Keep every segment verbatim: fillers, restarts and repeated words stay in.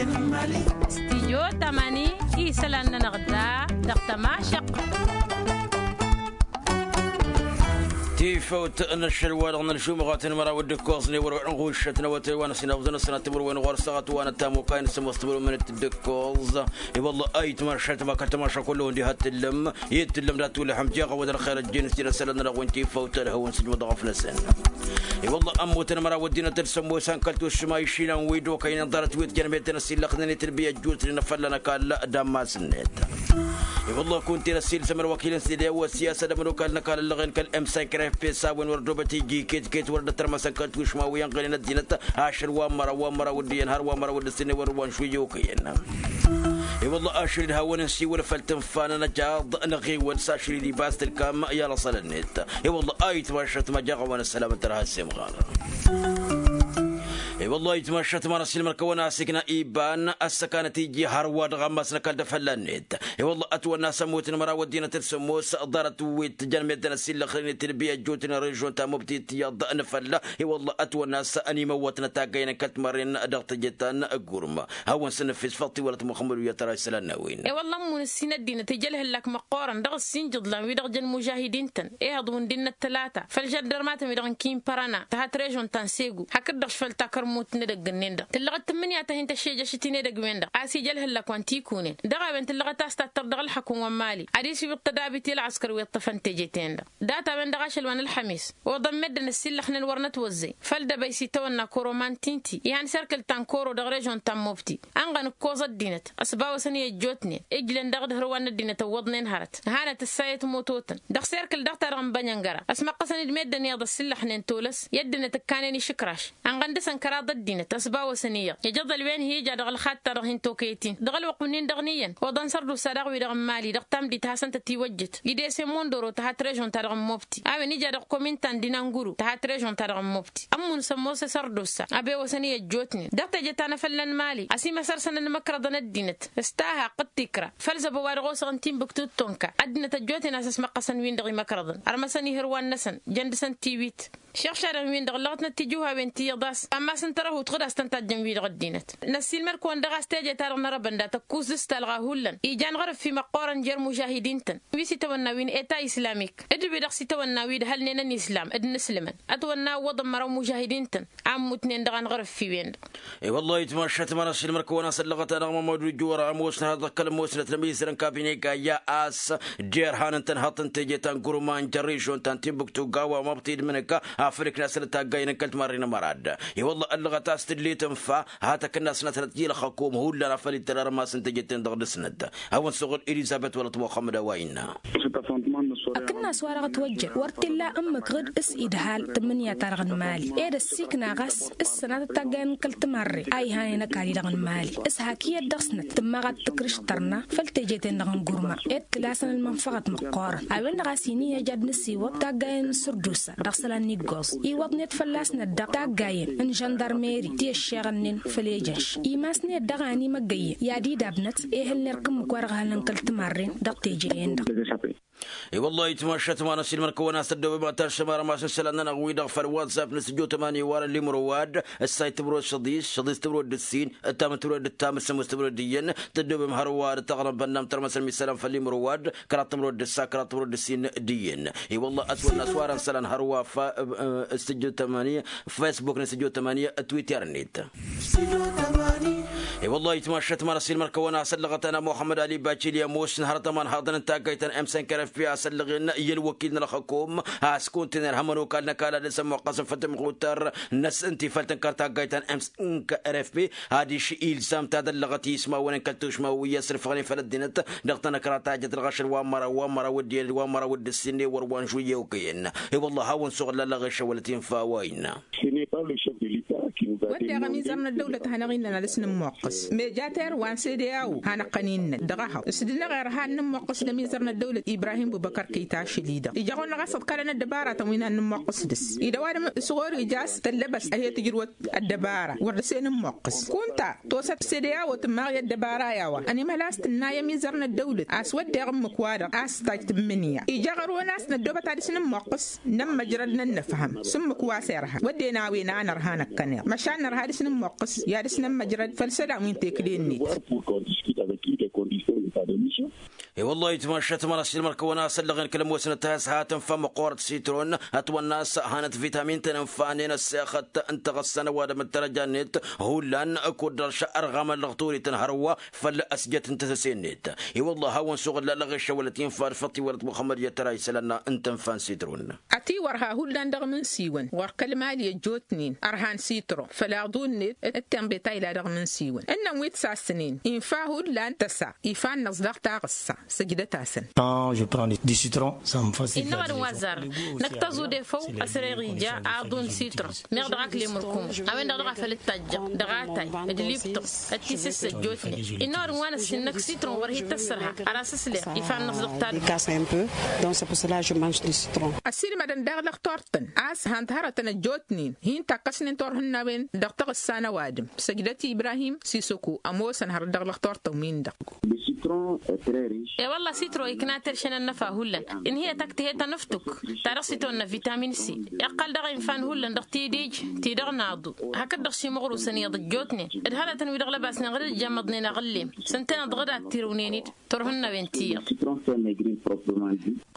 Stijyo tamani isălan-nănăɣ da dăɣ-tămašăq. Tifăwt n-ašăl wa dăɣ-nălžumăɣat n-măraw d-ǝkkoẓ n-ewăr wa n-ɣušăt n-awătay wa n-ăsinăɣ d-năsănat timǝrwen ɣur-săɣăt wa n-ătamukay n-sămoos timǝrwen d-ǝkkoẓ. I-wălla ayǝtmašăt ma kăl-tămašăk kullu-hǝn diha t-tǝllăm i-t-tǝllăm dat-tulăḥăm jeɣ a-wa d-ălxer ăjjeen s-tinăsălăn-nănăɣ wi n-tifăwt ălhăwăn s-ǝjmăḍ ɣăf-năsăn. I-wălla ămmutăn măraw ăddinăt d-sămmos a n-kăl-tušma išilăn wi d-okăynen ḍarăt wi t-jănmeten ăsillăxnen i-tǝlbǝy ăjjootnen afălla n-ăkall d-ammas-net. I-wălla kunta-en ăssiilsăm ălwăkil n-side wa s-i-asădăm ălwăkal n-ăkall ăllăɣen kăl-emsan kăra efes a-wen wăr ăddobăt iji iket-iket wăr dd-ătrmăsăn kăl-tušma wi ănɣăynen ăddinăt ašăl wa n-măraw wa n-măraw d-iyyăn har wa n-măraw d-ǝssin i-wăr wa n-šuyya okăyăn. I-wălla ašăl-dd hawăn-ǝnsi wăla făl tǝnfa n-anăjaḍ n-aɣiwăl s-ašăl-dd ibas tǝlkam i-alăṣăl-net. I-wălla ayǝtmašăt ma jaɣ-a-wa n-ăssălam n-tărha s-imɣar. I-wălla ayǝtmašăt ma n-ăssiilmăr kăwăn-asǝkna iban ăssăkanăt iji hărwa dăɣ-ammas n-ăkall d-afălla-net. I-wălla ătwănna s-ămmut n-măraw ăddinăt d-sămmos ḍarăt wi t-jănmedden ăsillăxnen i-tǝlbi ăjjootnen režion ta mubtit iyyăḍ n-afălla. I-wălla ătwănna s-ănimăwwătnăt taggaynen kăl-timărren dăɣ-teje ta n-gurma. Hawăn-săn ăffis făḍt-i wălăt muxămmăd wi ătăra isălan n-a-wen. I-wălla ămmun ǝssin ăddinăt ija ălhǝllak măqqoorăn dăɣ-ǝssin jǝḍlan wi-dăɣ jăn mužahidin-tăn ehăḍ wǝndin n-ăttălata făll-žăndărmatăn wi-dăɣ n-kimpărăna tăhat režon ta n-segu hakd-dăɣ šfăl takărmut n-edăgg-ǝnnin-dăɣ tǝllăɣăt tǝmmǝnǝya ta hin-tăšše jăšăt-in edăgg-wen-dăɣ a-s ija ălhǝllak wa n-tikunen dăɣ-a-wen tǝllăɣăt a-s tattăr dăɣ-ǝlxăkun wa n-mali adiš iwǝḍ tădabit i-ălɣăskăr wi ǝṭṭăfăn teje-ten-dăɣ. Data-wen dăɣ-ašăl wa n-ălxămis oḍăn meddǝn ăssillăxnen wăr nătwăzzăy făll-dăbăy s-itawănna koro mantinti ihan serkǝl ta n-koro dăɣ-režon ta n-mobti. Ănɣăn ǝkkoẓ ăddinăt ăsbawăsăn i-ăjjootnen ǝjlăn dăɣ-dd-hărwa n-ăddinăt ăwwăḍnen hărăt. Hanăt ǝssayăt mototăn dăɣ-serkǝl dăɣ-ta-dăɣ n-bănjăngăra ăsmăqqăsăn-dd meddǝn iyyăḍ ăssillăxnen tolăs i-ăddinăt ǝkkanen išǝkraš. Ănɣăn dăɣ-săn kăraḍ ăddinăt ăsbawăsăn iyyăḍ ijăḍ ălwen hi-ija dăɣ-ălxad-ta-dăɣ hin-tokăyăt-in dăɣ-ălwăqq-wǝnnin-dăɣ n-iyyăn oḍăn sărdusa daɣ wi-dăɣ n-mali dăɣ-tamdit hasăn-tăt-iwăjjăt. Ide s-e-mondoro tăhat režon-ta-dăɣ n-mobti a-wen ija dăɣ-komin ta n-dinanguru tăhat režon-ta-dăɣ n-mobti ămmun sămmos i-sărdusa ăbewăsăn i-ăjjootnen dăɣ-teje ta n-afălla n-mali ăsimăsărsăn ănmăkrăḍăn ăddinăt. S-tahaq d-tikra făll-zăbo wa dăɣ-osăɣ n-timbuktu d-tonka ăddinăt ăjjootnen a-s ăsmăqqăsăn-win-dăɣ imăkrăḍăn ărmăsăn ihǝrwan-năsăn. Jăn dăɣ-săn tiwit šăɣšadăn-win-dăɣ ǝllăɣătnăt tijǝwhawen ti iyyăḍ a-s ammas n-tărăhut ɣǝd a-s tăn-tajjăn wi-dăɣ ăddinăt. Năssiilmăd-kăwăn dăɣ-a-s teje-ta-dăɣ n-arăbăn dat-ăkkuẓ s-talɣa hullan ijan ɣărǝffi măqqoorăn jer-mužahidin-tăn wi s-itawănna wi n-eta islamik d-wi-dăɣ s-itawănna wi d-hălnen ănislam d-inǝslǝmăn. Ătwănna ăwwăḍăn măraw mužahidin-tăn a ǝmmutnen dăɣ-anɣărǝffi-wen-dăɣ. I-wăllah itmašat ma n-ašilmăr-kăwăn a-s ăllăɣăt-anăɣ mămădu juwăr ămoosnăt dăɣ-kăl-ămoosnăt n-ămizăr n-kabine gayya a-s jer-han n-tănhăḍt n-teje ta n-gurma n-jăr-režion ta n-timbuktu gawa măbtid mǝnǝka. Afăl ǝkna-săn d-taggayăn n-kăl-timarre n-amărad. I-wăllah ăllăɣăt a-s tǝdli tǝnfa. Hatăk-ǝnna-s năsnăt i-ălxăkom hullan afăl ittăr armas n-teje-ten-dăɣ dăɣ-snăt. Hawăn-suɣǝl elizăbet wălăt muxămmăd a-wa innă. Ăkǝnnas wa dăɣ-ătwăjjăn wăr t-illa ǝmmǝk ɣǝd s-idhal tǝmmǝnǝya-ta-dăɣ n-imali ed ăssiikna ɣas s-sănatăt taggayen n-kăl-timarre a ihanen ăkall-i-dăɣ n-imali. S-hak iyyăt dăɣ-snăt tǝmmaɣ ad-tǝkrǝš tărna făll-teje-ten-dăɣ n-gurma ed tǝla-săn ălmănfăɣăt măqqoorăn. A-wen-dăɣ a-s hin-iyyăj ad-nǝsiwăḍ taggayen n-sărdusa dăɣ-isălan n-iggoẓ iwwăḍnet fălla-snăt daɣ taggayen n-žăndarmeri ti ăššeɣănnen făll-ejănš. Imasnet daɣ a ănimăggăyyen i-ad-idabnăt ehăl n-erk ǝmmǝk wa dăɣ-hălăn kăl-timarren dăɣ-teje-en-dăɣ. I-wăllah itmašat ma n-asilmăr-kăwăn a-s ăddobem ad-taššăm armas n-isălan-nănăɣ-wi-dăɣ făll-wazzap n-sǝjjo tămani warăn limrowad ǝssay tǝmrod šăḍis šăḍis tǝmrod d-ǝssin ǝttam tǝmrod d-ǝttam ǝssǝmus tǝmrod d-iyyăn. Tăddobem hărwa d-taɣrăbăn n-am tărmăsăn mi isălan făll-limrowad kăraḍ tǝmrod d-ǝssa kăraḍ tǝmrod d-ǝssin d-iyyăn. I-wăllah ătwănna s-warăn isălan hărwa f-sǝjjo tămani. Facebook n-sǝjjo tămani twitter-net. I-wăllah itmašat ma n-asilmăr-kăwăn a-s ăllăɣăt-anăɣ muxămmăd ali bacili ămoosăn hărăt ămanhaḍăn n-taggayt ta n-emsen kărăfpi a-s ăllăɣen i-ălwăkil n-ălxăkom a-s kunta-en ărhăm ănokal n-ăkall ad-dăr-s ămmuqqăsăn făll-tămɣutar-năsăn ti făll-tǝnkăr taggayt ta n-emsen kărăfpi. Adiš ilzam ta d-ăllăɣăt i-ismawăn n-kăl-tušma wi ăsrǝfăɣnen făll-ăddinăt dăɣ-tanăkra ta jăt ălɣašăl wa n-măraw wa n-măraw d-iyyăn d-wa n-măraw d-ǝssin i-wăr wa n-žuyya okăyăn. I-wăllah hawăn-suɣǝl ăllăɣešăn wălăt infa a-wa innă. Wădden ămizăr n-ăddăwlăt a hanăɣ-innăn ad-dăr-s nǝmmuqqǝs meja terwa n-sede a-wo hanăɣ-tăn-innăn dăɣ-ehăḍ s-dd-năɣ irha ad-nǝmmuqqǝs d-ămizăr n-ăddăwlăt ibrahim bubăkăr kăy-tašăl-i-dăɣ ija ɣur-năɣ a-s ăḍkalăn ăddăbaratăn wi n-ad-nǝmmuqqǝs dăr-s. Ida ăwadǝm s-ɣur-ija a-s tăllăbăst a hi-tǝjrǝwăt ăddăbara wăr dăr-s e-nǝmmuqqǝs kunta tosăt sede a-wo tǝmmaɣ i-ăddăbara i-a-wa ănimhăl a-s tǝnna i-ămizăr n-ăddăwlăt a-s wădden ǝmmǝk-wa-dăɣ a-s tajj tǝmmǝnǝya ija ɣur-wen a-s năddoobăt ad-dăr-s nǝmmuqqǝs. Nămmăjrăd n-ănnăfhăm s-ǝmmǝk wa s-irha wădden a-wen a nărha năkkăneḍ. Ăšan nărha ad-dăɣ-s nǝmmoqqǝs i-ad-dăɣ-s nǝmmăjrăd făll-isălan wi n-tekǝle-net. I-wălla-hi ǝtmašat măra s-ilmăr-kăwăn-asăllăɣen kăl-ămoosnăt has-hatăn-fa măqqoorăt sitron ătwănna a-s hanăt vitamin-tăn ǝnfanen ăssexăt n-taɣǝssa n-ăwadǝm d-tărăja-net. Hullan kud-dăɣ šărɣamăn lăɣturităn hărwa făll-ăsjăt n-tăsăse-net. I-wălla hawăn-suɣǝlla lăɣešăwălăt infa d-făṭṭiwălăt muxămmăd i-tăra isălan n-tăn-fan sitron. Ătiwărha hullan dăɣ-imǝnsiwăn ɣur-kăl-mali ăjjootnen ărhan sitron făll-aḍu-net d-tenḍe ta ila dăɣ-imǝnsiwăn ǝnnăn wi t-sasnen infa hullan tăsa ifa-năɣ s-dăɣ taɣǝssa. Săjdăt-asăn. Innă ɣur-dd wa ăzzarăn năkk taẓude făw ăsreɣ ija aḍu n-sitron meɣ dăɣ-akle mărkum a-wen-dăɣ dăɣ-a făl dd-tajjăɣ dăɣ-atay d-liptăɣ d-tisǝssăt jotnen. Innă ɣur-dd wa n-ăssinnăk sitron wăr hi-tăssărha ărasăsleɣ ifa-năɣ s-dăɣ tadǝm. Ăssiilmădăn daɣ lăxtor-tăn a-s han-t hărătăn ăjjootnen hin-takkăsnen turhǝnnawen dăɣ-taɣǝssa n-ăwadǝm. Săjdăt ibrahim sisăku ămoosăn hărăt dăɣ-lăxtor-tăn-win-dăɣ. E-wălla sitro ikna terše n-ănnăfa hullan. Ǝnhǝyăt ăktihăt ănǝftǝk ta dăɣ-s itwănna vitamin c. Iqqăl dăɣ-infa n-hullan dăɣ-tidij ti-dăɣ n-aḍu hakd-dăɣ šimɣrusăn iyyăḍ ăjjootnen d-hărătăn wi dăɣ-lăbasnen ɣǝr-dd ijamăḍnen aɣǝllem. S-ǝntăneḍ dăɣ-dd ad-tirǝwnen-dd turhǝnnawen ti iyyăḍ.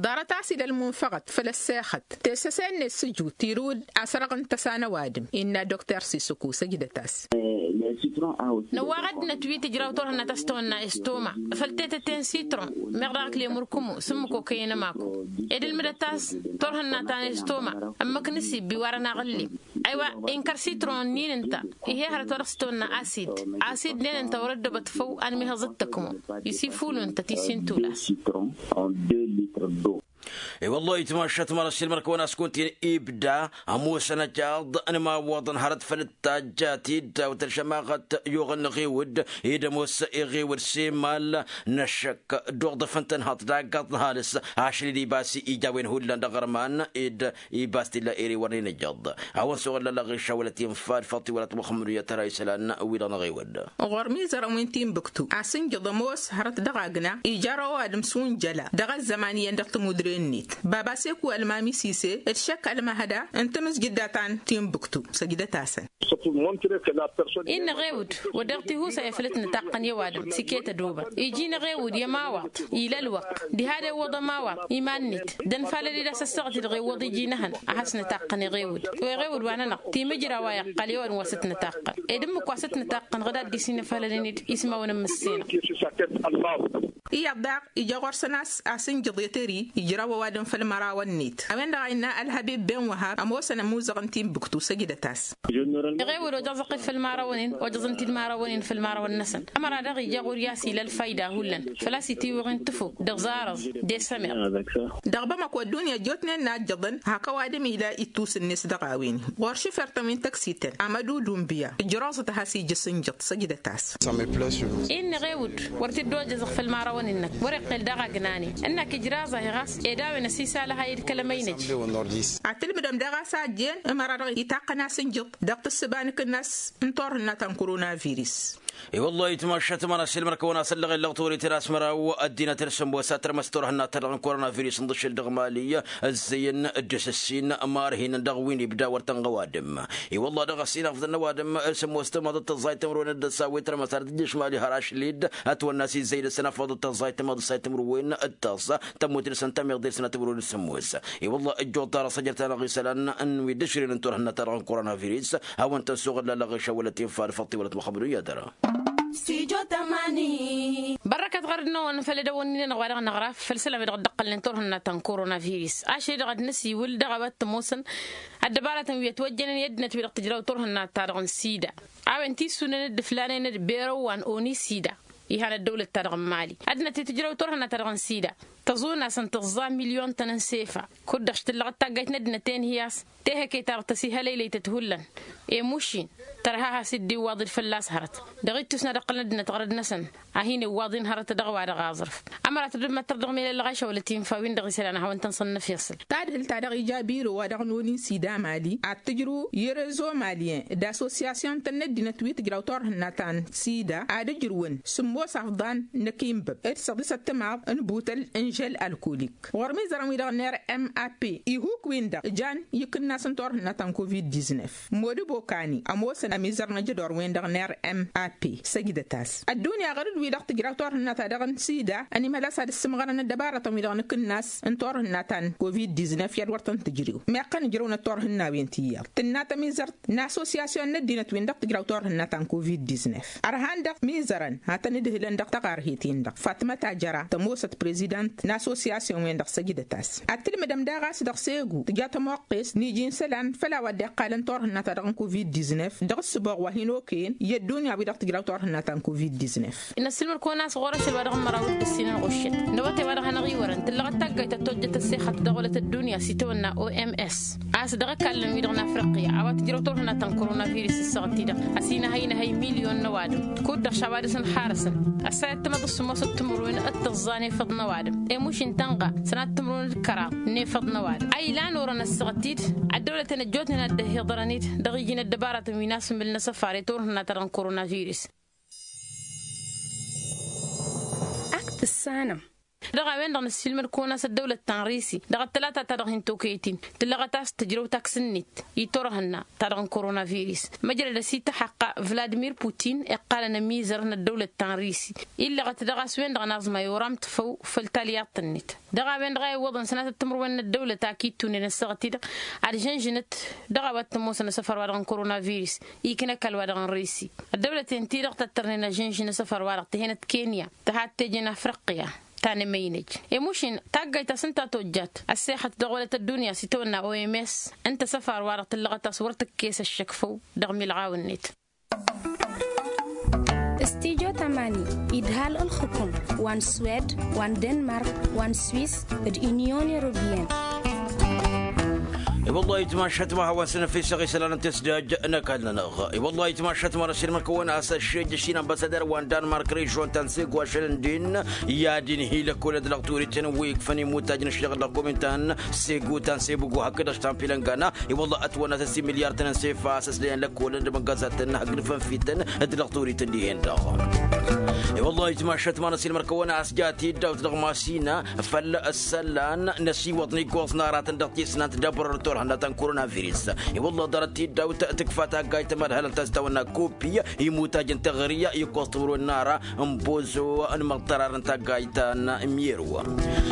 Ḍarăt a-s ila ălmunfăɣăt făll-ăssexăt tesăse-net s-ǝjut tirǝw-dd asărăɣ n-tăsa n-ăwadǝm innă dokter sisăku săjdăt-as. Năwwaɣ ăddinăt wi tǝjraw turhǝnna ta s-tăwănna estoma făll-tetăte n-sitron meɣ dăɣ-akle mărkǝmu s-ǝmmǝk okăyăn ămaku. Ed ǝlmǝdăt a-s turhǝnna ta n-estoma ǝmmǝk n-asibbi warăn aɣǝllim. Aywa inkăr sitron-nin ǝnta. Ih'-e hărăt wa dăɣ-s tăwănna asid. Asid-nen ǝnta wăr-ăddobăt făw anmihăẓ d-tăkmo isifulu ǝnta ti s-intulăs. I-wăllah itmašat măra s-ilmăr kăwăn-askunt-in ibda ămoosăn ăcaḍ n-imawwăḍăn hărăt făll-tajja tiddawt ălšămaɣăt yuɣ-ănn ɣiwǝd. Ed ămoos iɣiwǝd s-imal n-ăššăk dd-uḍǝf n-tănhăḍt d-aggaḍ n-halǝs ašăl-dd ibas ija a-wen hullan d-aɣărman ed ibas t-illa ere wăr n-inǝjjăḍ. A-wăn s-oɣăllălăɣ išawălăt infa d-făṭṭi wălăt muxămmăd uyăt ăra isălan wi-dăɣ n-aɣewăd. Ɣur-mizărăn wi n-tinbǝktu asǝnjăḍ ămoos hărăt dăɣ-agna ija ăro ăwadǝm s-unjăla dăɣ-ăzzăman iyyăn dăɣ-timudre-net. Baba seku ălmami sise d-šăkk ălmahăda n-tamǝzjǝdda ta n-tinbǝktu. Săjdăt-asăn. Innă ɣewǝd wăr dăɣ-tihusay afăl t-nǝtaqqăn i-ăwadǝm s-iket ădobăt iji n-ɣewǝd i-ămawaḍ ila ălwăqq diha d-iwwăḍ ămawaḍ iman-net d-ănfalăd-dd asăssăɣăt-dd ɣewwăḍ iji n-ehăn ad-has-nǝtaqqăn i-ɣewǝd. Wi ɣewǝd wa-nănăɣ timǝjraw a iqqăl i-ăwadǝm wa s-t-nǝtaqqăn ed ǝmmǝk wa s-t-nǝtaqqăn ɣǝd ad-dd-isinăfalălăn-dd ismawăn n-imǝssinăɣ. Iyyăḍ daɣ ija ɣur-săn a-s asǝnjăḍ i-tări ijraw ăwadǝm făll-mărawăn-net. A-wen-dăɣ a innă ălhăbib ben wăhab ămoosăn ămuzăɣ n-tinbǝktu săjdăt-as. Iɣewǝd ojăẓ ăqqǝl făll-mărawăn-in ojăẓăn-t-dd mărawăn-in făll-mărawăn-năsăn. Ămăra daɣ ija ɣur-i a-s ila ălfayda a hullan făl-a-s itiwǝɣ-in tǝfuk d-aẓarăẓ d-esămeɣ. Dăɣ-bamăko ăddunya ăjjootnen n-ajjăḍăn hak ăwadǝm ila ittus-net dăɣ-a-wen. Ɣur-šufert-tăn wi n-tăksităn amădu dunbǝya ǝjroẓăt ad-has-ija asǝnjăḍ săjdăt-as. Innă ɣewǝd wăr t-dd-ojăẓăɣ făll-mărawăn-năk wăr-iqqel daɣ agnanen ǝnnak ijraẓ-ahi ɣas ed a-wen ăsisalăhay d-kăl-ămăynăj. Ad-tǝlmǝdăm daɣ a-s a ăjjeen ămăra-dăɣ itaqqăn asǝnjăḍ dăɣ-tǝssǝba n-akǝnnas n-turhǝnna ta n-koronavirus. I-wăllah itmašat măra s-ilmăr-kăwăn-asăllăɣ illăɣ torităn a-s măraw ăddinăt d-sămoos a tărmăs turhǝnna-ta-dăɣ n-koronavirus ǝnḍǝšǝl dăɣ-mali ăzzăyăn d-asǝssin marhinăn dăɣ-wi n-ibda wăr tănɣ' ăwadǝm. I-wăllah dăɣ-ăssin afḍăn n-ăwadǝm d-sămoos tămaḍăt tăẓẓayt timǝrwen d-ăsawit tărmăs ad-tǝjjǝš mali har ašlid ătwănna a-s izzăy dăɣ-săn afḍăt tăẓẓayt tămaḍăt tăẓẓayt timǝrwen d-tăẓẓa tămmut dăɣ-săn tameḍe dăɣ-săn timǝrwen d-sămoos. I-wăllah ăjjoḍ ḍarăɣ săjrăt-anăɣ isălan n-wi dd-ǝšrǝyăn n-turhǝnna-ta-dăɣ n-koronavirus. Hawăn-tăn-suɣǝllalăɣ išăwălăt infa d-făṭṭi wălăt muxămmăd uyya dăra. Bărrăkăt ɣărăt-năwăn făll-edăwănni-nănăɣ wa dăɣ-năɣraf făll-isălan wi dăɣ-dd-ăqqălnen turhǝnna ta n-koronavirus ašăl-i-dăɣ ad-năsiwǝl dăɣ-a-wa t-ămoosăn ăddăbaratăn wi ătwăjjănen i-ăddinăt wi dăɣ-tǝjraw turhǝnna-ta-dăɣ n-sida. A-wen tisunen dd-ǝflanen d-berăwwan oni sida. Ihan ăddăwlăt-ta-dăɣ n-mali ăddinăt ti tǝjrăw turhǝnna-ta-dăɣ n-sida. Tăẓuna a-s ǝnta ǝẓẓa milyon-tăn n-sefa kud-dăɣ s-tǝllăɣ d-taggayt n-ăddinăt enhǝy a-s tehăke-ta-dăɣ tăsihălăylăy-tăt hullan. Emušin tărha has-dd-iwwaḍ-dd fălla-s hărăt dăɣ-ittus n-ad-ǝqqǝlăn ăddinăt ɣărăd-năsăn. A hin-iwwaḍ-in hărăt dăɣ-wa-dăɣ aẓrǝf. Ămăra tădǝmmăttăr dăɣ-melăllăɣ ašăwălăt infa-win-dăɣ isălan ad-hawăn-tăn-sănnăf iṣǝl. Tadhǝlt-ta-dăɣ ija biro-wa-dăɣ n-oni n-sida mali ad-tǝjrǝw i-rezo maliyăn d-asosiyasyon-tăn n-ăddinăt wi tǝjraw turhǝnna ta n-sida ad-ǝjrǝwăn sǝmmos afḍan n-akinbăb d-săḍisăt timaḍ n-butăl. Jel alkolik ɣur-mizărăn wi-dăɣ n-r m a p ihuk-win-dăɣ jan ikǝnnas n-turhǝnna ta n-covid-diznef. Modǝbo kani ămoosăn ămizăr n-ajădor-wen-dăɣ n-r m a p săjdăt-as ăddunya ɣur-dd wi-dăɣ tǝjraw turhǝnna ta dăɣ-n sida ănimăl a-s ad-ǝssǝmɣărăn ăddăbarătăn wi-dăɣ n-akǝnnas n-turhǝnna ta n-covid-diznef i-ad-wăr tăn-tǝjrew. Meɣ kăn ǝjrăwnăt turhǝnna-wen tiyyăḍ tǝnnat ămizăr n-asosiyasyon n-ăddinăt-win-dăɣ tǝjraw turhǝnna ta n-covid-diznef. Ărhan dăɣ-mizărăn ad-tăn-ǝdhǝlăn dăɣ-taɣarhet-in-dăɣ fatmăt ajăra tămoosăt prezidant n-asosiyasyon-wen-dăɣ săjdăt-as. Ad-tǝlmǝdăm daɣ a-s dăɣ-segu tǝja tămoqqest n-iji n-isălan făll-a-wa dd-iqqalăn turhǝnna ta dăɣ-n covid-diznef dăɣ-ǝssǝboɣ wa hin-okăyăn i-ăddunya wi-dăɣ tǝjraw turhǝnna ta n-covid-diznef. Inăssilmăr-kăwăn a-s ɣur-ašăl wa dăɣ-n măraw d-ǝssin ănɣuššăt n-awătay wa dăɣ-hanăɣ-iwărăn tǝllăɣăt taggayt ta tojjăt ăssexăt dăɣ-wălăt ăddunya s-itawănna oms. A-s dăɣ-ăkallăn wi-dăɣ n-afriqya a-wa tǝjrăw turhǝnna ta n-koronavirus ǝssăɣăt-i-dăɣ ăsinăhăy-năhăy milyon n-ăwadǝm. Kud-dăɣ šawa dăɣ-săn harăsăn ăssayăt tǝmăḍ s-sǝmmosăt timǝrwen d-tǝẓẓa n-efăḍ n-ăwadǝm. Emuš n-tănɣa sănat timǝrwen d-kăraḍ n-efăḍ n-ăwadǝm a ilan orăn ăssăɣăt-t-dd. Ăddăwlăten ăjjootnen ad-dd-ăhhiḍărăn-dd dăɣ-iji n-ăddăbarătăn wi n-asǝmmǝl n-asăfar i-turhǝnna ta dăɣ-n-koronavirus. Ak tǝssanăm. Dăɣ-a-wen-dăɣ năssiilmăd-kăwăn a-s ăddăwlăt ta n-risi dăɣ-ăttălata ta dăɣ-hin-tokăyăt-in tǝllăɣăt a-s tǝjrăw taks-net i-turhǝnna ta dăɣ-n koronavirus. Măjrăd ăsităxăqqa vladimir putin iqqalăn ămizăr n-ăddăwlăt ta n-risi illăɣăt dăɣ-a-s wen-dăɣ n-aẓmay oram tǝfăw făll-talyaḍt-net. Dăɣ-a-wen-dăɣ a iwwăḍăn sănatăt timǝrwen n-ăddăwlăt ak ittunen ăssaɣăt-i-dăɣ ad-žănžănăt dăɣ-a-wa t-ămoosăn asăfar-wa-dăɣ n-koronavirus. Iknăkal-wa-dăɣ n-risi ăddăwlăten-ti-dăɣ tăttărnen ažǝnžǝn asăfar-wa-dăɣ tǝhenăt kenya tăhat teje n-afriqya. Ta n-emăynăj emušin taggayt ta s-ǝnta tojjat ăssexăt dăɣ-wălăt ăddunya s-itawănna oms. Ǝnta asăfar-wa-dăɣ tǝllăɣăt a-s wăr tǝkkes ăššăk făw dăɣ-milɣaw-net. Studyo tamani idhal ǝlxǝkum wa n-swed wa n-denmark wa n-swis d-unyon europeyăn. I-wăllah itmašat ma hawăn-săn ăfisăɣ isălan n-tesdaj n-ăkall-nănăɣ. I-wăllah itmašat ma n-ăsirmăn kăwăn-as ăššejj ăššin ambăsadăr wa n-denmark režon ta n-segu ašăl n-din i-ad-inhi lăkkolăn d-lăɣturităn wi ikfăn imutaj n-ăššeɣ d-lăkkomin ta n-segu ta n-sebugu hakd ăštan pilăngana. I-wălla ătwănna s-ăssin milyar-tăn n-sefa a-s ăslăyăn lăkkolăn d-imăngazatăn hakd fănfităn d-lăɣturităn dihen-dăɣ. I-wălla itmašat ma n-ăsilmăr-kăwăn a-s ja tiddawt dăɣ-masina făll-ăssălan n-ăsiwăḍ n-iggoẓ n-aratăn dăɣ-tisnant d-abărăr turhănna ta n-koronavirus. I-wălla ḍarăt tiddawt tǝkfa taggayt mădhălăn ta s-tawănna kopi imutaj n-teɣări iggoẓ timǝrwen n-ara n-bozo n-imăḍtărar n-taggayt ta n-miyero.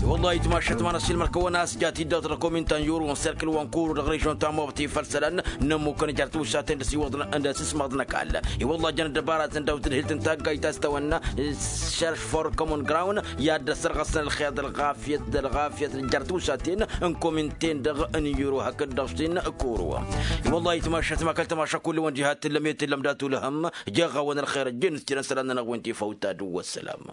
I-wălla itmašat ma n-ăsilmăr-kăwăn a-s ja tiddawt dăɣ-komin ta n-yuru n-serkǝl wa n-kuru dăɣ-režon ta n-mobti făll-isălan n-ămmukăn jer-tiwǝššaten d-ăsiwăḍăn d-asǝsmăḍ n-ăkall. I-wălla jăn ăddăbaratăn daw-tǝdhǝlt n-taggayt ta s-tawănna šărš for common ground i-ad-dd-ăssărɣăsăn ălxer d-ălɣafyăt d-ălɣafyăt jer-tiwǝššaten n-komin-ten-dăɣ n-yuru hakd dăɣ-štin kuru. I-wălla itmašat ma kăl-tamaša kull-wăn diha t-tǝllăm i-tǝllăm dat-ulhăm. Jeɣ-awăn ălxer ăjjeen s-jărăn isălan-nănăɣ wi n-tifawt ta d-wăssălam.